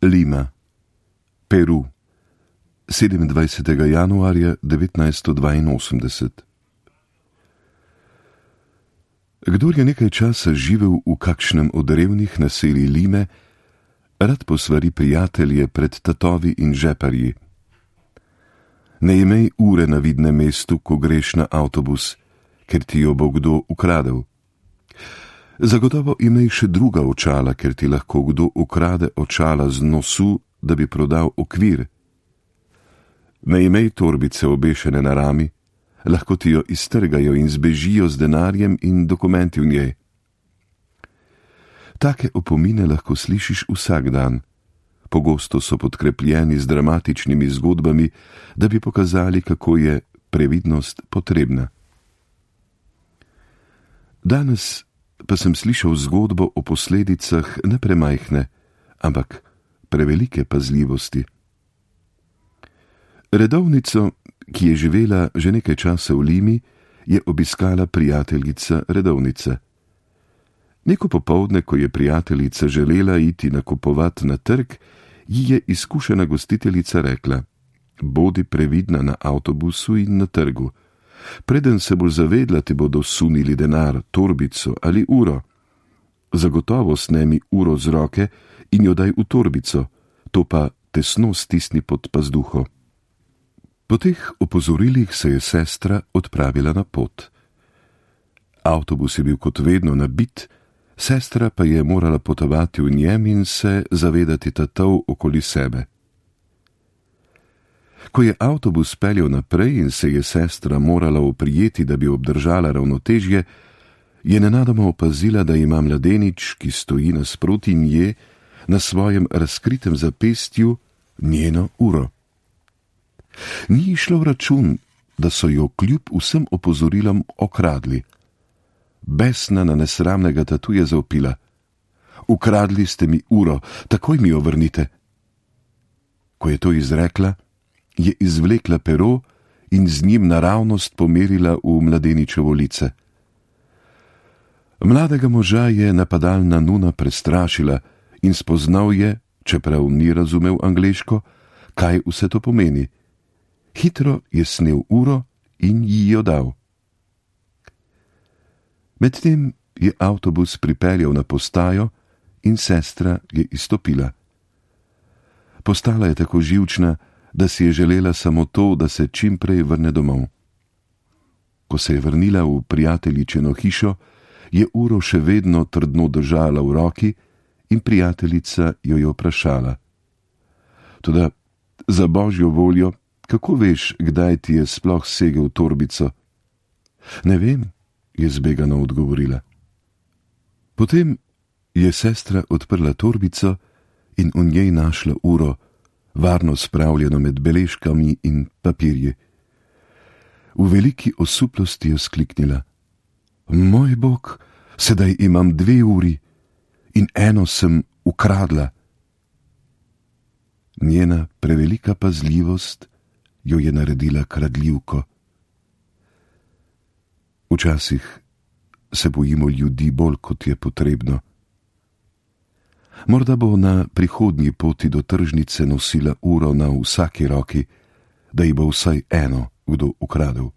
Lima, Peru, 27. januarja 1982. Kdor je nekaj časa živel v kakšnem od revnih naselij Lime, rad posvari prijatelje pred tatovi in žeparji. Ne imej ure na vidnem mestu, ko greš na avtobus, ker ti jo bo kdo ukradel. Zagotovo imej še druga očala, ker ti lahko kdo ukrade očala z nosu, da bi prodal okvir. Ne imej torbice obešene na rami, lahko ti jo iztrgajo in zbežijo z denarjem in dokumenti v njej. Take opomine lahko slišiš vsak dan. Pogosto so podkrepljeni z dramatičnimi zgodbami, da bi pokazali, kako je previdnost potrebna. Danes pa sem slišal zgodbo o posledicah ne premajhne, ampak prevelike pazljivosti. Redovnico, ki je živela že nekaj časa v Limi, je obiskala prijateljica redovnice. Neko popoldne, ko je prijateljica želela iti nakupovat na trg, ji je izkušena gostiteljica rekla: bodi previdna na avtobusu in na trgu. Preden se boš zavedla, ti bodo sunili denar, torbico ali uro. Zagotovo snemi uro z roke in jo daj v torbico, to pa tesno stisni pod pazduho. Po teh opozorilih se je sestra odpravila na pot. Avtobus je bil kot vedno nabit, sestra pa je morala potovati v njem in se zavedati tatov okoli sebe. Ko je avtobus peljal naprej in se je sestra morala oprijeti, da bi obdržala ravnotežje, je nenadoma opazila, da ima mladenič, ki stoji nasproti nje, na svojem razkritem zapestju njeno uro. Ni išlo v račun, da so jo kljub vsem opozorilom okradli. Besna na nesramnega tatu je zavpila: ukradli ste mi uro, takoj mi jo vrnite. Ko je to izrekla, je izvlekla pero in z njim naravnost pomerila v mladeničevo lice. Mladega moža je napadalna nuna prestrašila in spoznal je, čeprav ni razumel angleško, kaj vse to pomeni. Hitro je snel uro in ji jo dal. Medtem je avtobus pripeljal na postajo in sestra je izstopila. Postala je tako živčna, da si je želela samo to, da se čim prej vrne domov. Ko se je vrnila v prijateljičino hišo, je uro še vedno trdno držala v roki in prijateljica jo je vprašala: toda za božjo voljo, kako veš, kdaj ti je sploh segel torbico? Ne vem, je zbegano odgovorila. Potem je sestra odprla torbico in v njej našla uro, varno spravljeno med beležkami in papirji. V veliki osuplosti je skliknila: moj bog, sedaj imam 2 uri in eno sem ukradla. Njena prevelika pazljivost jo je naredila kradljivko. Včasih se bojimo ljudi bolj, kot je potrebno. Morda bo na prihodnji poti do tržnice nosila uro na vsaki roki, da ji bo vsaj eno kdo ukradel.